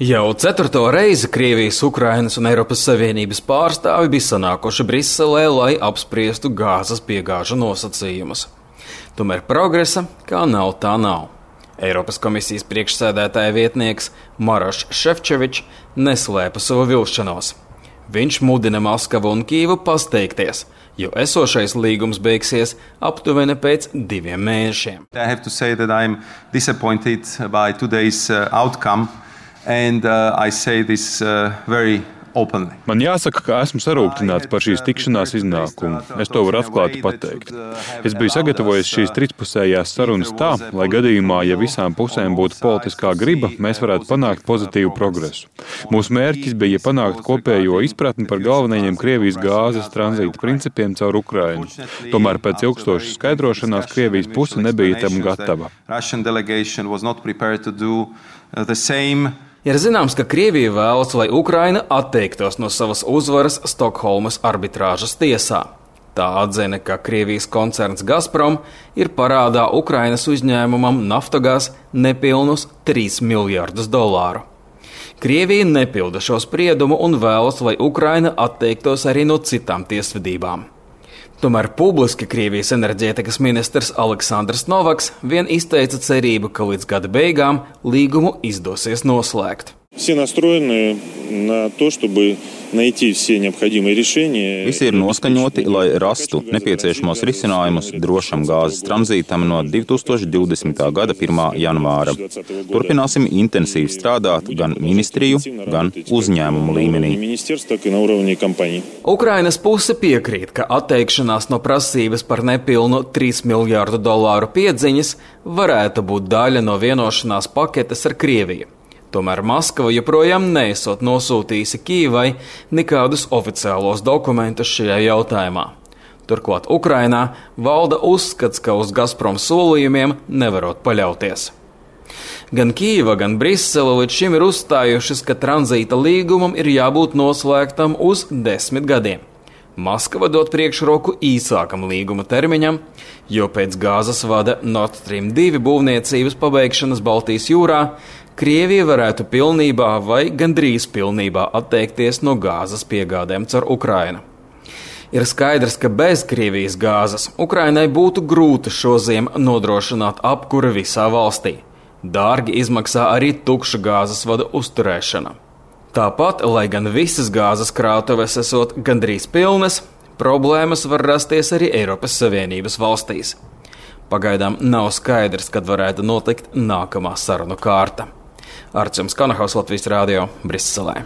Jau 4. reizi Krievijas, Ukrainas un Eiropas Savienības pārstāvi bija sanākuši Briselē, lai apspriestu gāzes piegāžu nosacījumus. Tomēr progresa kā nav, tā nav. Eiropas komisijas priekšsēdētāja vietnieks Maroš Šefčovičs neslēpa savu vilšanos. Viņš mudina Maskavu un Kīvu pasteikties, jo esošais līgums beigsies aptuveni pēc 2 mēnešiem. Man jāsaka, ka esmu sarūktināts par šīs tikšanās iznākumu. Es to varu atklāti pateikt. Es biju sagatavojis šīs trīspusējās sarunas tā, lai gadījumā, ja visām pusēm būtu politiskā griba, mēs varētu panākt pozitīvu progresu. Mūsu mērķis bija panākt kopējo izpratni par galvenajiem Krievijas gāzes tranzīta principiem caur Ukrainu. Tomēr pēc ilgstošas skaidrošanās Krievijas puse nebija tam gatava. Ir zināms, ka Krievija vēlas, lai Ukraina atteiktos no savas uzvaras Stokholmas arbitrāžas tiesā. Tā atzina, ka Krievijas koncerns Gazprom ir parādā Ukrainas uzņēmumam Naftogaz nepilnus $3 miljardus. Krievija nepilda šo spriedumu un vēlas, lai Ukraina atteiktos arī no citām tiesvedībām. Tomēr publiski Krievijas enerģētikas ministrs Aleksandrs Novaks vien izteica cerību, ka līdz gada beigām līgumu izdosies noslēgt. Visi ir noskaņoti, lai rastu nepieciešamos risinājumus drošam gāzes tranzītam no 2020. gada 1. janvāra. Turpināsim intensīvi strādāt gan ministriju, gan uzņēmumu līmenī. Ukrainas puse piekrīt, ka atteikšanās no prasības par nepilnu $3 miljardu piedziņas varētu būt daļa no vienošanās paketes ar Krieviju. Tomēr Maskava joprojām neesot nosūtījusi Kīvai nekādus oficiālos dokumentus šajā jautājumā. Turklāt Ukrainā valda uzskats, ka uz Gazprom solījumiem nevarot paļauties. Gan Kīva, gan Brisele līdz šim ir uzstājušas, ka tranzīta līgumam ir jābūt noslēgtam uz 10 gadiem. Maskava dod priekšroku īsākam līguma termiņam, jo pēc gāzes vada Nord Stream 2 būvniecības pabeigšanas Baltijas jūrā Krievija varētu pilnībā vai gandrīz pilnībā atteikties no gāzes piegādēm caur Ukrainu. Ir skaidrs, ka bez Krievijas gāzes Ukrainai būtu grūti šoziem nodrošināt apkuri visā valstī. Dārgi izmaksā arī tukša gāzes vada uzturēšana. Tāpat, lai gan visas gāzes krātuves esot gandrīz pilnas, problēmas var rasties arī Eiropas Savienības valstīs. Pagaidām nav skaidrs, kad varētu notikt nākamā sarunu kārta. Arčuns Kanahaus, Latvijas Rādio, Briselē.